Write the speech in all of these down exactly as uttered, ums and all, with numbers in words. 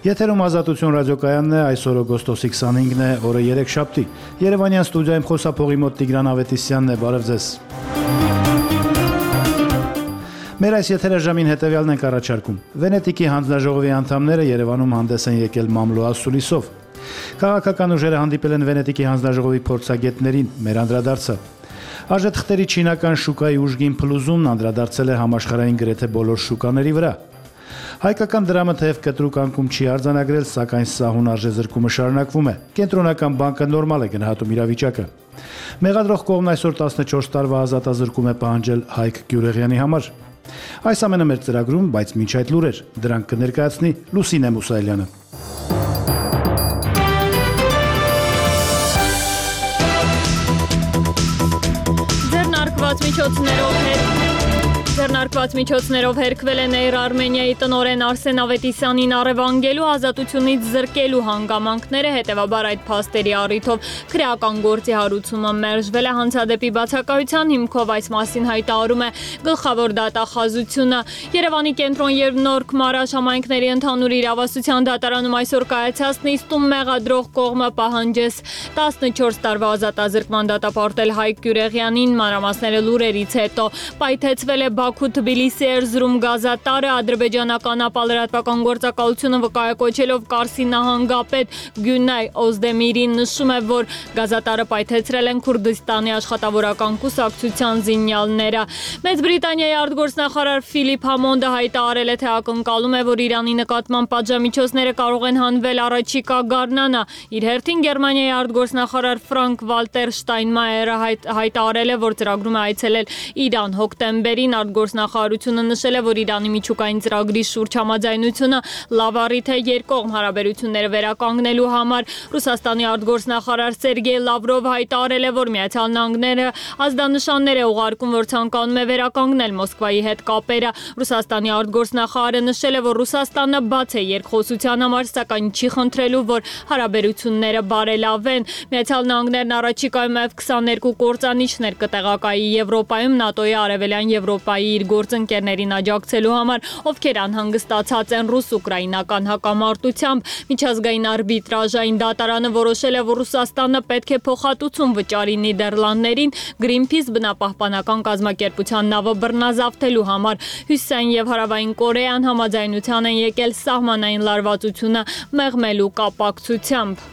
Եթերում Ազատություն ռադիոկայանն է, այսօր օգոստոսի քսանհինգն է, օրը երեքշաբթի։ Երևանյան ստուդիայում խոսափողի մոտ Տիգրան Ավետիսյանն է, բարև ձեզ։ Մեր այս եթերաժամին հետևյալն ենք առաջարկում։ Վենետիկի հանձնաժողովի անդամները Երևանում հանդես են եկել մամլո ասուլիսով։ Քաղաքական ուժերը հանդիպել են Վենետիկի հանձնաժողովի փորձագետներին, մեր անդրադարձը։ Արժեթղթերի չինական շուկայի ուժգին փլուզումն անդրադարձել է համաշխարհային գրեթե բոլոր շուկաների վրա։ Հայկական դրամը թեև կտրուկ անկում չի արձանագրել, սակայն սահուն արժեզրկումը շարունակվում է։ Կենտրոնական բանկը նորմալ է գնահատում իրավիճակը։ Մեղադրող կողմն այսօր տասնչորս տարվա ազատազրկում է պահանջել Հայկ Գյուրեղյանի համար։ Այս ամենը մեր ծրագրում, բայց մինչ այդ լուրեր, դրանք կներկայացնի Լուսինե Մուսայելյանը։ Ձեռնարկված միջոցներով հետ Ձեռնարկված միջոցներով հերքվել է Էյր Արմենիայի տնօրեն Արսեն Ավետիսյանին առևանգելու, ազատությունից զրկելու հանգամանքները, հետևաբար այդ փաստերի առիթով քրեական գործի հարուցումը մերժվել է հանցադեպի բացակայության հիմքով, այս մասին հայտարարում է գլխավոր դատախազությունը։ Երևանի կենտրոն եւ Նորք Մարաշ համայնքների ընդհանուր իրավասության դատարանում այսօր կայացած նիստում մեղադրող կողմը պահանջեց տասնչորս տարվա ազատազրկման դատապարտել Հայկ Գյուրեղյանին, մանրամասները լուրերից հետո պայթեցվել է Բաքու-Թբիլիսի Էրզրում գազատարը, ադրբեջանական ապալրատվական գործակալությունը վկայակոչելով Կարսի նահանգապետ Գյունայ Օզդեմիրին նշում է, որ գազատարը պայթեցրել են Քուրդիստանի աշխատավորական կուսակցության զինյալները։ Մեծ Բրիտանիայի արտգործնախարար Ֆիլիպ Համոնդը հայտարարել է, թե ակնկալում է, որ Իրանի նկատմամբ պատժամիջոցները կարող են հանվել առաջիկա գարնանը։ Իր հերթին Գերմանիայի արտգործնախարար Ֆրանկ Վալտեր Շտայնմայերը հայտարարել է, որ ծրագրում է այցելել Իրան հոկտեմբերին։ Արտգործնախարարությունը նշել է, որ Իրանի միջուկային ծրագրի շուրջ համաձայնությունը լավ առիթ է երկկողմ հարաբերությունները վերականգնելու համար։ Ռուսաստանի արտգործնախարար Սերգեյ Լավրովը հայտարարել է, որ Միացյալ Նահանգները ազդանշաններ է ուղարկում, որ ցանկանում է վերականգնել Մոսկվայի հետ կապերը։ Ռուսաստանի արտգործնախարարը նշել է, որ Ռուսաստանը բաց է երկխոսության համար, սակայն չի խնդրելու, որ հարաբերությունները բարելավեն։ Միացյալ Նահանգներն առաջիկայում Էֆ քսաներկու կործանիչներ կտեղակայի Եվրոպայում ՆԱՏՕ-ի արևելյան Եվրոպայի իր գործընկերներին աջակցելու համար, ովքեր անհանգստացած են ռուս-ուկրաինական հակամարտությամբ։ Միջազգային արբիտրաժային դատարանը որոշել է, որ Ռուսաստանը պետք է փոխհատուցում վճարի Նիդերլանդներին Greenpeace բնապահպանական կազմակերպության նավը բռնազավթելու համար։ Հյուսիսային եւ Հարավային Կորեան համաձայնության են եկել սահմանային լարվածությունը մեղմելու կապակցությամբ։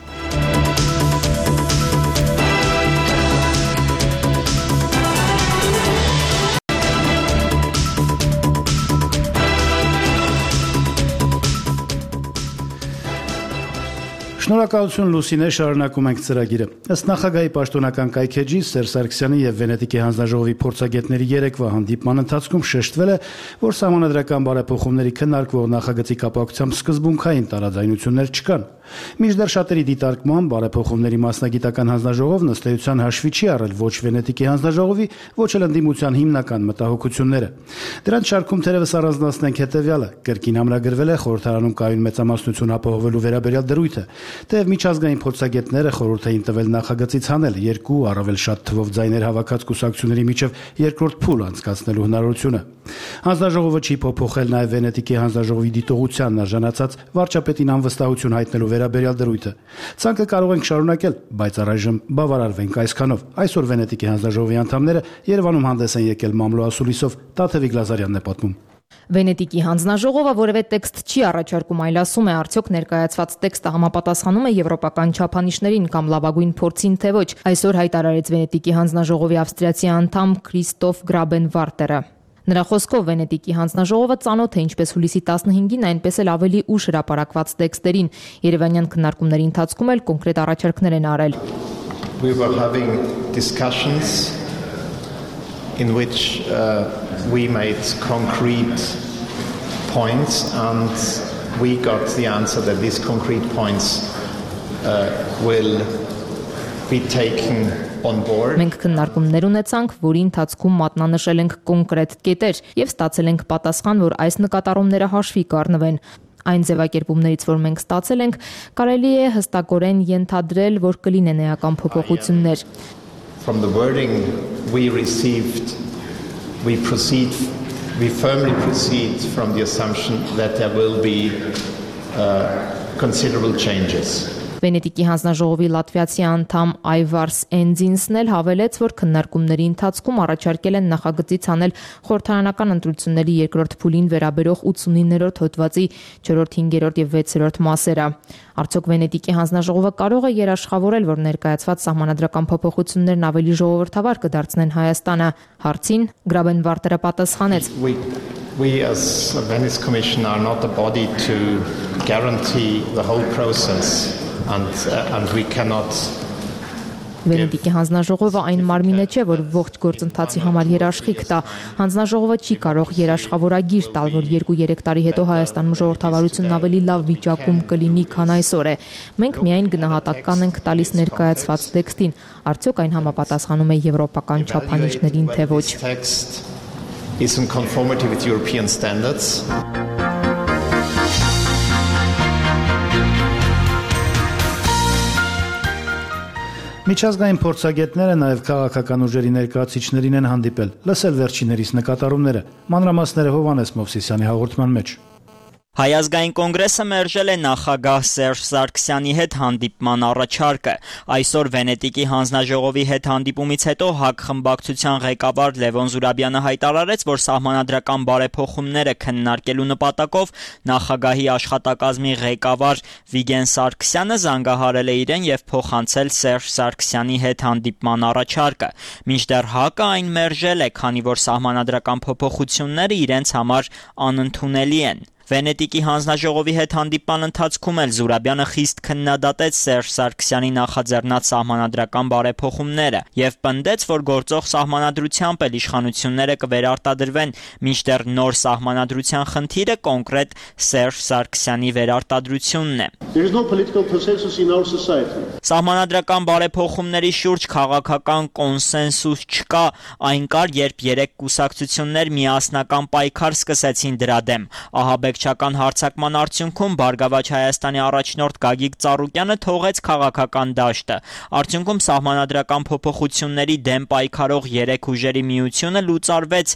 Շնորհակալություն Լուսինե, շարունակում ենք ծրագիրը։ Ըստ նախագահի պաշտոնական կայքեջի Սերժ Սարգսյանի եւ Վենետիկի հանձնաժողովի փորձագետների երեկվա հանդիպման ընթացքում շեշտվել է, որ սահմանադրական բարեփոխումների քննարկվող նախագծի կապակցությամբ սկզբունքային տարաձայնություններ չկան։ Մինչդեռ շատերի դիտարկման բարեփոխումների մասնագիտական հանձնաժողովն ըստ էության հաշվի չի առել ոչ Վենետիկի հանձնաժողովի, ոչ էլ ընդդիմության հիմնական մտահոգությունները։ Դրանց շարքում թերևս առանձնացնենք հետևյալը. կրկին ամրագրվել է խորհրդարանում կայուն մեծամասնություն ապահովելու վերաբերյալ դրույթը, թեև միջազգային փորձագետները խորհուրդ էին տվել նախագծից հանել երկու առավել շատ թվով ձայներ հավաքած կուսակցությունների միջև երկրորդ փուլ անցկացնելու հնարավորությունը։ Հանձնաժողովը չի փոփոխել նաև Վենետիկի հանձնաժողովի դիտողությանն արժանացած վարչապետին անվստահություն հայտնելու վերաբերյալ դրույթը։ Ցանկը կարող ենք շարունակել, բայց առայժմ բավարարվենք այսքանով։ Այսօր Վենետիկի հանձնաժողովի անդամները Երևանում հանդես են եկել մամլո ասուլիսով, Տաթևիկ Լազարյանն է պատմում։ Վենետիկի հանձնաժողովը որևէ տեքստ չի առաջարկում, այլ ասում է, արդյոք ներկայացված տեքստը համապատասխանում է եվրոպական չափանիշներին կամ լավագույն փորձին, թե ոչ։ Այսօր հայտարարեց Վենետիկի հանձնաժողովի ավստրիացի անդամ Քրիստոֆ Գրաբենվարտերը։ Նրա խոսքով Վենետիկի հանձնաժողովը ծանոթ է ինչպես հուլիսի տասնհինգին, այնպես էլ ավելի ուշ հրապարակված տեքստերին։ Երևանյան քննարկումների ընթացքում էլ կոնկրետ առաջարկներ են արել։ We were having discussions in which uh, we made concrete points and we got the answer that these concrete points uh, will be taken on board. Մենք քննարկումներ ունեցանք, որի ընթացքում մատնանշել ենք կոնկրետ կետեր եւ ստացել ենք պատասխան, որ այս նկատառումները հաշվի կառնվեն։ Այն ձևակերպումներից, որ մենք ստացել ենք, կարելի է հստակորեն ենթադրել, որ կլինեն էական փոփոխություններ։ From the wording we received, we proceed, we firmly proceed from the assumption that there will be uh, considerable changes. Վենետիկի հանձնաժողովի լատվիացի անդամ Այվարս Էնձինսն էլ հավելեց, որ քննարկումների ընթացքում առաջարկել են նախագծից անել խորհրդարանական ընտրությունների երկրորդ փուլին վերաբերող ութսունիններորդ հոդվածի չորրորդ, հինգերորդ եւ վեցերորդ մասերը։ Արդյոք Վենետիկի հանձնաժողովը կարող է երաշխավորել, որ ներկայացված սահմանադրական փոփոխություններն ավելի ժողովրդավար կդարձնեն Հայաստանը։ Հարցին Գրաբենվարտերը պատասխանեց. We as the Venice Commission are not the body to guarantee the whole process and, uh, and we cannot Վենետիկի հանձնաժողովը այն մարմինը չէ, որ ողջ գործընթացի համար երաշխիք տա։ Հանձնաժողովը չի կարող երաշխավորագիր տալ, որ երկու-երեք տարի հետո Հայաստանում ժողովրդավարությունն ավելի լավ վիճակում կլինի, քան այսօր է։ Մենք միայն գնահատական ենք տալիս ներկայացված տեքստին, արդյոք այն համապատասխանում է եվրոպական չափանիշներին, թե ոչ։ Is in conformity with European standards. Միջազգային փորձագետները նաև քաղաքական ուժերի ներկայացուցիչներին են հանդիպել, լսել վերջիններիս նկատառումները։ Մանրամասները Հովհաննես Մովսիսյանի հաղորդման մեջ։ Հայազգային կոնգրեսը մերժել է նախագահ Սերժ Սարգսյանի հետ հանդիպման առաջարկը։ Այսօր Վենետիկի հանձնաժողովի հետ հանդիպումից հետո ՀԱԿ խմբակցության ղեկավար Լևոն Զուրաբյանը հայտարարեց, որ սահմանադրական բարեփոխումները քննարկելու նպատակով նախագահի աշխատակազմի ղեկավար Վիգեն Սարգսյանը զանգահարել է իրեն եւ փոխանցել Սերժ Սարգսյանի հետ հանդիպման առաջարկը։ Մինչդեռ ՀԱԿ-ը այն մերժել է, քանի որ սահմանադրական փոփոխությունները իրենց համար անընդունելի են։ Վենետիկի հանձնաժողովի հետ հանդիպման ընթացքում էլ Զուրաբյանը խիստ քննադատեց Սերժ Սարգսյանի նախաձեռնած սահմանադրական բարեփոխումները եւ պնդեց, որ գործող սահմանադրությամբ էլ իշխանությունները կվերարտադրվեն, մինչդեռ նոր սահմանադրության խնդիրը կոնկրետ Սերժ Սարգսյանի վերարտադրությունն է։ Սահմանադրական բարեփոխումների շուրջ քաղաքական կոնսենսուս չկա, այն կար, երբ երեք կուսակցություններ միասնական պայքար սկսեցին դրա դեմ։ Ահաբեկչական հարձակման արդյունքում Բարգավաճ Հայաստանի առաջնորդ Գագիկ Ծառուկյանը թողեց քաղաքական դաշտը։ Արդյունքում սահմանադրական փոփոխությունների դեմ պայքարող երեք ուժերի միությունը լուծարվեց։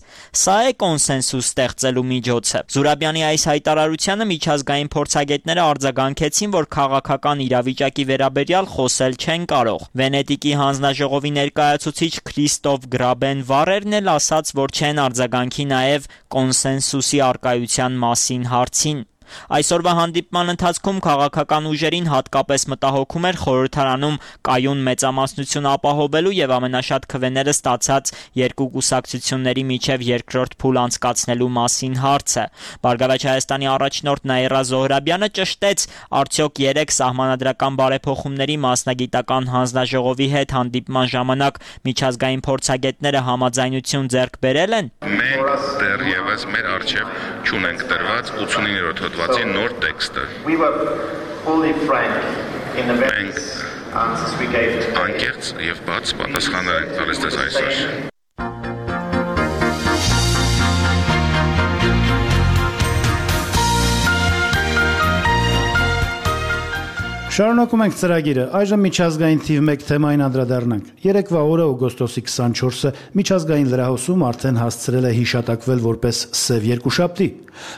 Սա է կոնսենսուս ստեղծելու միջոցը։ Զուրաբյանի այս հայտարարությանը միջազգային փորձագետները արձագանքեցին, որ քաղաքական իրավիճակի վերաբերյալ խոսել չեն կարող։ Վենետիկի հանձնաժողովի ներկայացուցիչ Քրիստոֆ Գրաբենվարերն էլ ասաց, որ չեն արձագանքի նաև կոնսենսուսի արկայության մասին հարցին։ Այսօրվա հանդիպման ընթացքում քաղաքական ուժերին հատկապես մտահոգում էր խորհրդարանում կայուն մեծամասնություն ապահովելու եւ ամենաշատ քվեները ստացած երկու կուսակցությունների միջև երկրորդ փուլ անցկացնելու մասին հարցը։ Բարգավաճ Հայաստանի առաջնորդ Նաիրա Զոհրաբյանը ճշտեց, արդյոք երեք սահմանադրական բարեփոխումների մասնագիտական հանձնաժողովի հետ հանդիպման ժամանակ միջազգային փորձագետները համաձայնություն ձեռք բերել են։ Մենք դեռևս մեր արժեվ չունենք դրված ութսունիններորդ հոդվածի նոր տեքստը։ Մենք անկեղծ եւ բաց պատասխաններ ենք տալիս դες այսօր։ Շարունակում ենք ծրագիրը։ Այժմ միջազգային թիվ մեկ թեմային անդրադառնանք։ Երեկվա օրը օգոստոսի քսանչորսը միջազգային լրահոսում արդեն հասցրել է հիշատակվել որպես սև երկուշաբթի։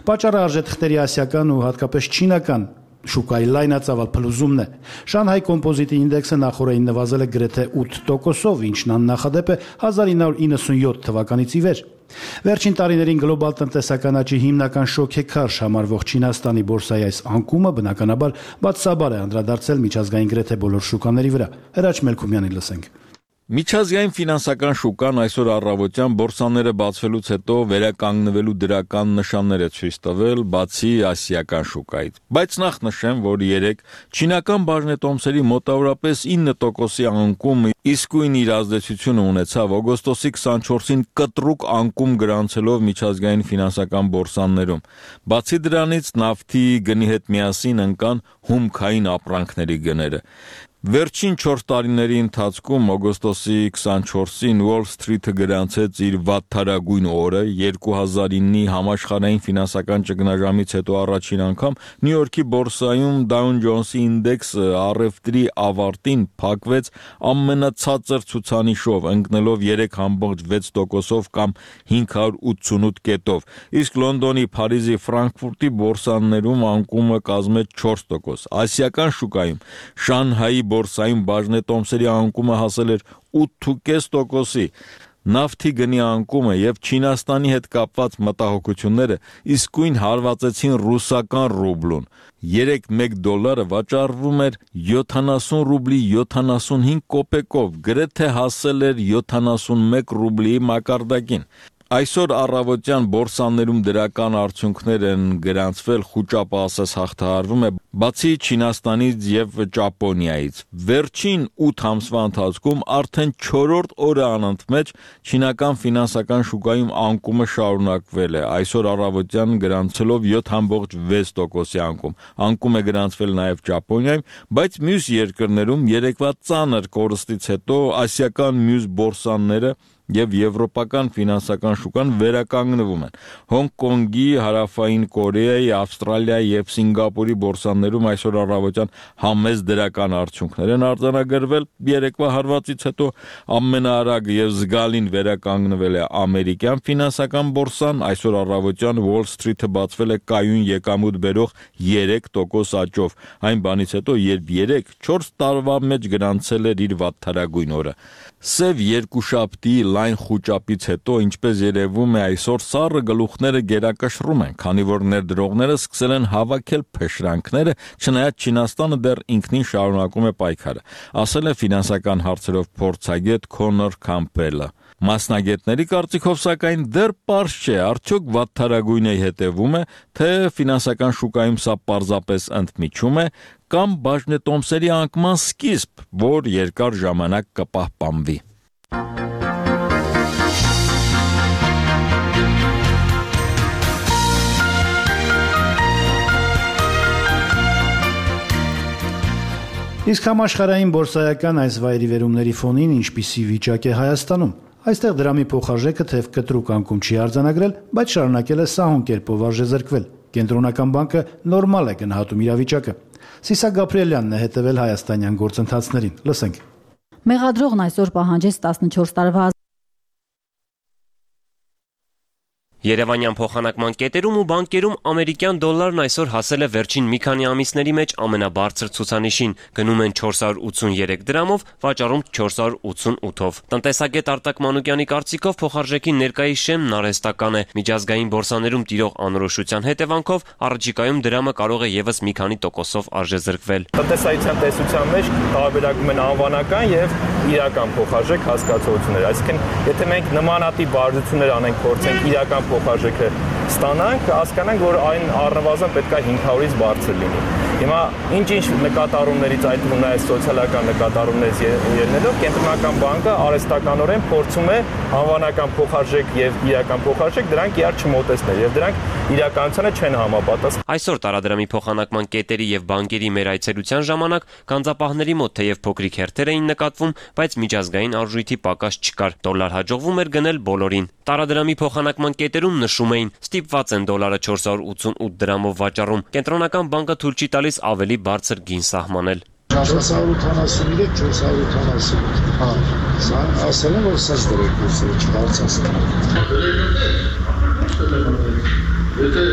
Պատճառը արժեթղթերի ասիական ու հատկապես չինական շուկայի լայնածավալ փլուզումն է։ Շանհայ կոմպոզիտի ինդեքսը նախորդին նվազել է գրեթե ութ տոկոսով, ինչն աննախադեպ է հազար ինը հարյուր իննսունյոթ թվականից ի վեր։ Վերջին տարիներին գլոբալ տնտեսական աճի հիմնական շոքեքարշ համարվող Չինաստանի բորսայի այս անկումը բնականաբար բացասաբար է անդրադարձել միջազգային գրեթե բոլոր շուկաների վրա։ Հրաչ Մելքումյանի լսենք։ Միջազգային ֆինանսական շուկան այսօր առավոտյան բորսաները բացվելուց հետո վերականգնվելու դրական նշաններ է ցույց տվել, բացի ասիական շուկայից։ Բայց նախ նշեմ, որ երեք չինական բաժնետոմսերի մոտավորապես ինը տոկոսի անկում իսկույն իր ազդեցությունը ունեցավ օգոստոսի քսանչորսին կտրուկ անկում գրանցելով միջազգային ֆինանսական բորսաներում։ Բացի դրանից նավթի գնի հետ միասին ընկան հումքային ապրանքների գները։ Վերջին չորս տարիների ընթացքում օգոստոսի քսանչորսին Wall Street-ը գրանցեց իր վատթարագույն օրը, երկու հազար իննի համաշխարհային ֆինանսական ճգնաժամից հետո առաջին անգամ Նյու Յորքի բորսայում Dow Jones-ի ինդեքսը առևտրի ավարտին փակվեց ամենացածր ցուցանիշով, ընկնելով երեք համբողջ վեց տոկոսով կամ հինգ հարյուր ութսունութ կետով, իսկ Լոնդոնի, Փարիզի, Ֆրանկֆուրտի բորսաներում անկումը կազմեց չորս տոկոս։ Ասիական շուկայում Շանհայի բորսայում բաժնետոմսերի անկումը հասել էր ութ ու կես տոկոսի։ Նավթի գնի անկումը եւ Չինաստանի հետ կապված մտահոգությունները իսկույն հարվածեցին ռուսական ռուբլուն։ Երեկ մեկ դոլարը վաճառվում էր յոթանասուն ռուբլի յոթանասունհինգ կոպեկով, գրեթե հասել էր յոթանասունմեկ ռուբլի մակարդակին։ Այսօր առավոտյան բորսաներում դրական արդյունքներ են գրանցվել, խուճապահասես հաղթահարվում է բացի Չինաստանից եւ Ճապոնիայից։ Վերջին ութ ամսվա ընթացքում արդեն չորրորդ օրը անընդմեջ չինական ֆինանսական շուկայում անկումը շարունակվել է։ Այսօր առավոտյան գրանցելով յոթ ամբողջ վեց տոկոսի անկում։ Անկում է գրանցվել նաեւ Ճապոնիայում, բայց մյուս երկրներում երեկվա ծանր կորստից հետո ասիական մյուս բորսաները եւ եվրոպական ֆինանսական շուկան վերականգնվում են։ Հոնկոնգի, Հարավային Կորեայի, Ավստրալիայի եւ Սինգապուրի բորսաներում այսօր առավոտյան համեծ դրական արդյունքներ են արձանագրվել։ Երեկվա հարվածից հետո ամենաարագ եւ զգալին վերականգնվել է ամերիկյան ֆինանսական բորսան։ Այսօր առավոտյան Wall Street-ը բացվել է կայուն եկամուտ բերող երեք տոկոս աճով։ Այն բանից հետո, երբ երեք չորս տարվա մեջ գրանցել էր իր վատթարագույն օրը։ Սև երկուշաբթի լայն խուճապից հետո, ինչպես երևում է, այսօր սառը գլուխները գերակշռում են, քանի որ ներդրողները սկսել են հավաքել փշրանքները, չնայած Չինաստանը դեռ ինքնին շարունակում է պայքարը, ասել է ֆինանսական հարցերով փորձագետ Քոնոր Քամփելը։ Մասնագետների կարծիքով սակայն դեռ պարզ չէ, արդյոք վատթարագույնը հետևում է, թե ֆինանսական շուկայում սա պարզապես ընդմիջում է, կամ բաժնետոմսերի անկման սկիզբ, որ երկար ժամանակ կպահպանվի։ Իսկ համաշխարհային բորսայական այս վայրի վերումների ֆոնին ինչպիսի վիճակ է Հայաստանում։ Այստեղ դրամի փոխարժեքը թեև կտրուկ անկում չի արձանագրել, բայց շարունակել է սահուն կերպով արժեզրկվել։ Կենտրոնական բանկը նորմալ է գնահատում իրավիճակը։ Սիսակ Գաբրիելյանն է հետևել հայաստանյան գործընթացներին։ Լսենք։ Մեղադրողն այսօր պահանջեց տասնչորս տարվա Երևանյան փոխանակման կետերում ու բանկերում ամերիկյան դոլարն այսօր հասել է վերջին մի քանի ամիսների մեջ ամենաբարձր ցուցանիշին, գնում են չորս հարյուր ութսուներեք դրամով, վաճառում չորս հարյուր ութսունութով։ Տնտեսագետ Արտակ Մանուկյանի կարծիքով փոխարժեքի ներկայիս շեմն արհեստական է, միջազգային բորսաներում տիրող անորոշության հետևանքով առաջիկայում դրամը կարող է եւս մի քանի տոկոսով արժեզրկվել։ Տնտեսայության տեսության մեջ տարբերակում են անվանական եւ իրական փոխարժեք հասկացություններ, այսինքն եթե մենք նմանատիպ վարժություններ անենք, փորձենք իրական փոխարժեքը ստանանք, հասկանանք, որ այն առնվազն պետք է հինգ հարյուրից բարձր լինի։ Հիմա ինչ-ինչ նկատառումներից, այդ թվում նաև սոցիալական նկատառումներից ելնելով, Կենտրոնական բանկը արհեստականորեն փորձում է անվանական փոխարժեք եւ իրական փոխարժեք դրանք իրար չմոտեցնել եւ դրանք իրականությանը չեն համապատասխանում։ Այսօր տարադրամի փոխանակման կետերի եւ բանկերի մեր այցելության ժամանակ գանձապահների մոտ թեև փոքրիկ հերթեր էին նկատվում, բայց միջազգային արժույթի պակաս չկար։ Դոլար հաջողվում էր գնել բոլորին։ Տարադրամի փոխանակման կետերում նշում էին, ստիպված են դոլարը չորս հարյուր ութսունութ դրամով վաճառում։ Կենտրոնական բանկը թույլ չի տալիս ավելի բարձր գին սահմանել։ չորս հարյուր ութանասուներեք, չորս հարյուր ութանասունութ։ Հա, սա ասել եմ, որ սաց դրեք կուրսերը չբարձրացնեն։ Եթե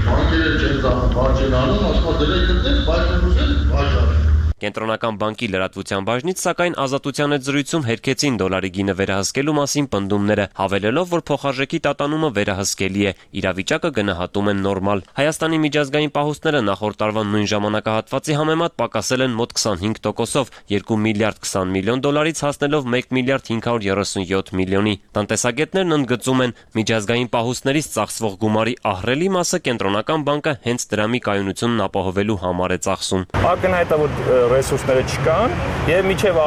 բանկերը չեն վաճառանում, ասում դրեք դրեք, բայց ուզեն վաճառեն։ Կենտրոնական բանկի լրատվության բաժնից սակայն Ազատության հետ զրույցում հերքեցին դոլարի գինը վերահսկելու մասին պնդումները, հավելելով, որ փոխարժեքի տատանումը վերահսկելի է, իրավիճակը գնահատում են նորմալ։ Հայաստանի միջազգային պահուստները նախորդ տարվա նույն ժամանակահատվածի համեմատ պակասել են մոտ քսանհինգ տոկոսով, երկու միլիարդ քսան միլիոն դոլարից հասնելով մեկ միլիարդ հինգ հարյուր երեսունյոթ միլիոնի։ Տնտեսագետներն ընդգծում են, միջազգային պահուստներից ծախսվող գումարի ահռելի մասը Կենտրոնական բանկը հենց դրամի կայունությունն ապահովելու համար է ծախսում։ Ակնհայտ է, որ ռեսուրսները չկան եւ մինչեւ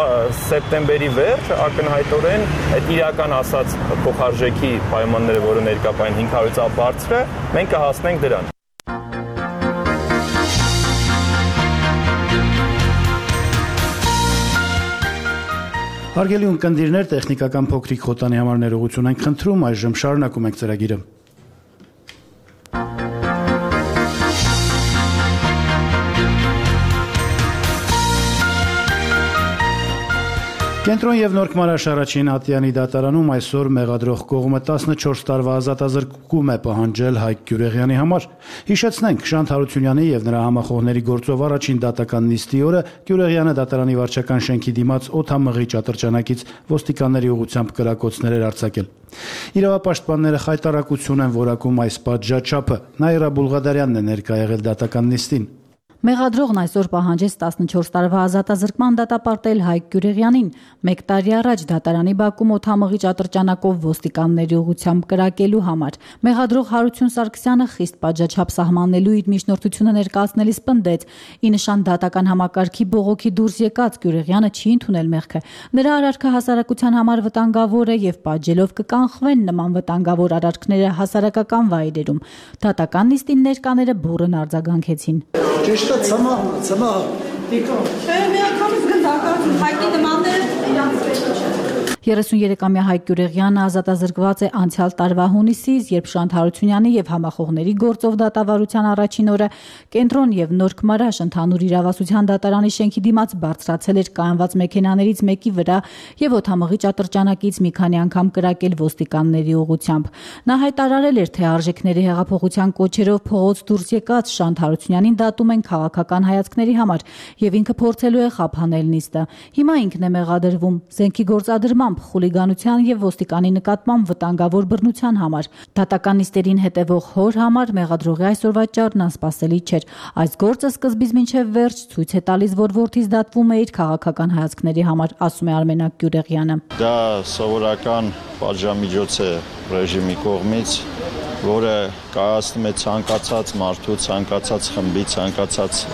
սեպտեմբերի վերջ ակնհայտորեն այդ իրական ասած փոխարժեքի պայմանները, որը ներկայացան հինգ հարյուրից ավելի բարձր է, մենք կհասնենք դրան։ Հարգելի ունկնդիրներ, տեխնիկական փոքրիկ խոտանի համար ներողություն ենք խնդրում, այժմ շարունակում ենք ծրագիրը։ Կենտրոն եւ Նորք Մարաշարաչին Ատյանի դատարանում այսօր մեղադրող կողմը տասնչորս տարվա ազատազրկում է պահանջել Հայկ Գյուրեղյանի համար։ Հիշեցնենք, Շանթ Հարությունյանի եւ նրա համախոհների գործով առաջին դատական նիստի օրը Գյուրեղյանը դատարանի վարչական շենքի դիմաց օդամղիչ ատրճանակից ոստիկանների ուղղությամբ կրակոցներ էր արձակել։ Իրավապաշտպանները խայտարակություն են որակում այս պատժաչափը։ Նաիրա Բուլղադարյանն է ներկա եղել դատական նիստին։ Մեղադրողն այսօր պահանջեց տասնչորս տարվա ազատազրկման դատապարտել Հայկ Գյուրեղյանին, մեկ տարի առաջ դատարանի բակում օդամղիչ ատրճանակով ոստիկանների ուղղությամբ կրակելու համար։ Մեղադրող Հարություն Սարգսյանը խիստ պատժաչափ սահմանելու իր միջնորդությունը ներկայացնելիս պնդեց՝ ի նշան դատական համակարգի բողոքի դուրս եկած Գյուրեղյանը չի ընդունել մեղքը։ Նրա արարքը հասարակության համար վտանգավոր է եւ պատժելով կկանխվեն նման վտանգավոր արարքները հասարակական վայրերում։ Դատական նիստին ներկաները բուռն արձագանքեցին։ Ճիշտ է, ցմահ, ցմահ։ Չէ, միանգամից գնդակացում, Հայկի նմանները իրանց պետք չէ։ երեսուներեքամյա Հայկ Գյուրեղյանը ազատազրկված է անցյալ տարվա հունիսից, երբ Շանթ Հարությունյանի եւ համախոհների գործով դատավարության առաջին օրը Կենտրոն եւ Նորք Մարաշ ընդհանուր իրավասության դատարանի շենքի դիմաց բարձրացել էր կայանված մեքենաներից մեկի վրա եւ օդամղիչ ատրճանակից մի քանի անգամ կրակել ոստիկանների ուղղությամբ։ Նա հայտարարել էր, թե արժեքների հեղափոխության կոչերով փողոց դուրս եկած Շանթ Հարությունյանին դատում են քաղաքական հայացքների համար եւ ինքը փորձելու է խափանել նիստը։ Հիմա ինքն է մեղադրվում զենքի գործադրմամբ, խուլիգանության եւ ոստիկանի նկատմամբ վտանգավոր բռնության համար։ Դատական նիստերին հետևող հոր համար մեղադրողի այսօրվա ճառն անսպասելի չէր։ Այս գործը սկզբից մինչև վերջ ցույց է տալիս, որ որդից դատվում է իր քաղաքական հայացքների համար, ասում է Արմենակ Գյուրեղյանը։ Դա սովորական պատժամիջոց է ռեժիմի կողմից, որը կայացնում է ցանկացած մարդու, ցանկացած խմբի, ցանկացած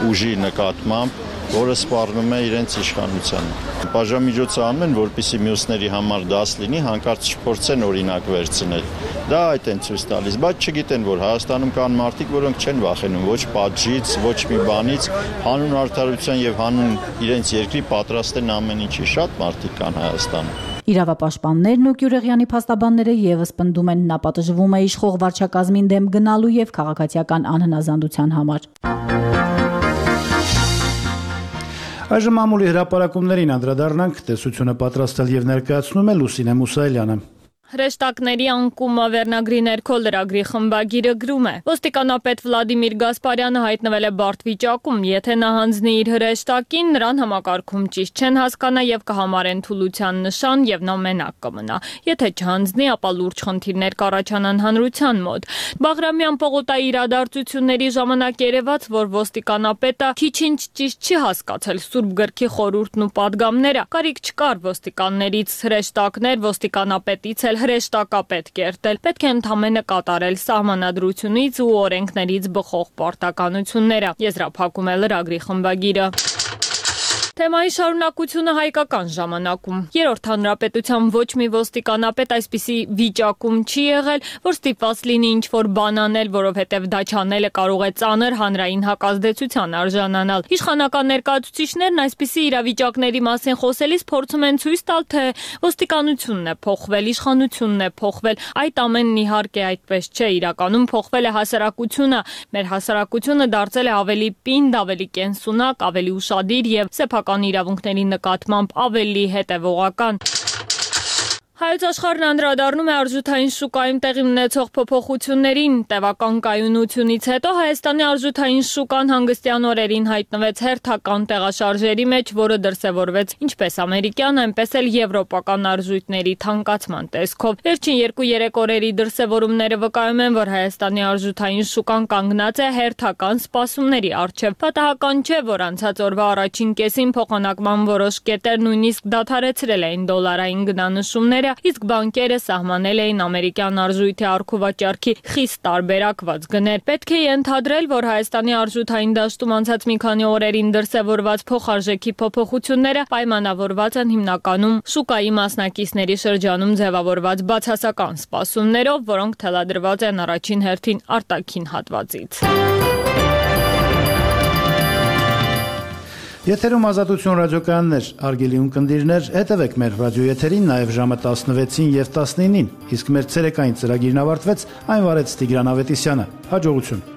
ուժի նկատմամբ, որը սպառնում է իրենց իշխանությանը։ Պատժամիջոցը անում են, որպեսզի մյուսների համար դաս լինի, հանկարծ չփորձեն օրինակ վերցնել։ Դա այդ են ցույց տալիս, բայց չգիտեն, որ Հայաստանում կան մարդիկ, որոնք չեն վախենում ոչ պատժից, ոչ մի բանից, հանուն արդարության եւ հանուն իրենց երկրի պատրաստ են ամեն ինչի։ Շատ մարդիկ կան Հայաստանում։ Իրավապաշտպաններն ու Գյուրեղյանի փաստաբանները եւս պնդում են, նա պատժվում է իշխող վարչակազմին դեմ գնալու եւ քաղաքացիական անհնազանդության համար։ Այժմ մամուլի հրապարակումներին անդրադառնանք, տեսությունը պատրաստել եւ ներկայացնում է Լուսինե Մուսայելյանը։ Հրեշտակների անկումը վերնագրի ներքո լրագրի խմբագիրը գրում է. Ոստիկանապետ Վլադիմիր Գասպարյանը հայտնվել է բարդ վիճակում, եթե նա հանձնի իր հրեշտակին, նրան համակարգում ճիշտ չեն հասկանա եւ կհամարեն թուլության նշան եւ նա մենակ կմնա։ Եթե չհանձնի, ապա լուրջ խնդիրներ կառաջանան հանրության մոտ։ Բաղրամյան պողոտայի իրադարձությունների ժամանակ երևաց, որ ոստիկանապետը քիչ-ինչ ճիշտ չի հասկացել Սուրբ գրքի խորհուրդն ու պատգամները։ Կարիք չկար ոստիկաններից հրեշտակներ, ոստիկանապետից էլ հրեշտակապետ կերտել, պետք է ընդամենը կատարել սահմանադրությունից ու օրենքներից բխող պարտականությունները, եզրափակում է լրագրի խմբագիրը։ Թեմայի շարունակությունը հայկական ժամանակում։ Երրորդ հանրապետության ոչ մի ոստիկանապետ այսպիսի վիճակում չի եղել, որ ստիպված լինի ինչ-որ բան անել, որովհետև դա չանելը կարող է ծանր հանրային հակազդեցության արժանանալ։ Իշխանական ներկայացուցիչներն այսպիսի իրավիճակների մասին խոսելիս փորձում են ցույց տալ, թե ոստիկանությունն է փոխվել, իշխանությունն է փոխվել։ Այդ ամենն իհարկե այդպես չէ, իրականում փոխվել է հասարակությունը։ Մեր հասարակությունը դարձել է ավելի պինդ, ավելի կենսունակ, ավելի ուշադիր եւ սեփական իրավունքների նկատմամբ ավելի հետևողական։ Հայոց աշխարհն անդրադառնում է արժութային շուկայում տեղի ունեցող փոփոխություններին։ Տևական կայունությունից հետո Հայաստանի արժութային շուկան հանգստյան օրերին հայտնվեց հերթական տեղաշարժերի մեջ, որը դրսևորվեց ինչպես ամերիկյան, այնպես էլ եվրոպական արժույթների թանկացման տեսքով։ Վերջին երկու-երեք օրերի դրսևորումները վկայում են, որ Հայաստանի արժութային շուկան կանգնած է հերթական սպասումների առջև։ Պատահական չէ, որ անցած օրվա առաջին կեսին փոխանակման որոշ կետեր նույնիսկ դադարեցրել էին դոլարային գնանշումները, իսկ բանկերը սահմանել էին ամերիկյան արժույթի առքուվաճառքի խիստ տարբերակված գներ։ Պետք է ենթադրել, որ Հայաստանի արժութային դաշտում անցած մի քանի օրերին դրսևորված փոխարժեքի փոփոխությունները պայմանավորված են հիմնականում շուկայի մասնակիցների շրջանում ձևավորված բացասական սպասումներով, որոնք թելադրված են առաջին հերթին արտաքին հատվածից։ Եթերում Ազատություն ռադիոկայաններ, արգելի ունկնդիրներ, հետևեք մեր ռադիոեթերին նաև ժամը տասնվեցին եւ տասնինին, իսկ մեր ցերեկային ծրագիրն ավարտվեց, այն վարեց Տիգրան Ավետիսյանը։ Հաջողություն։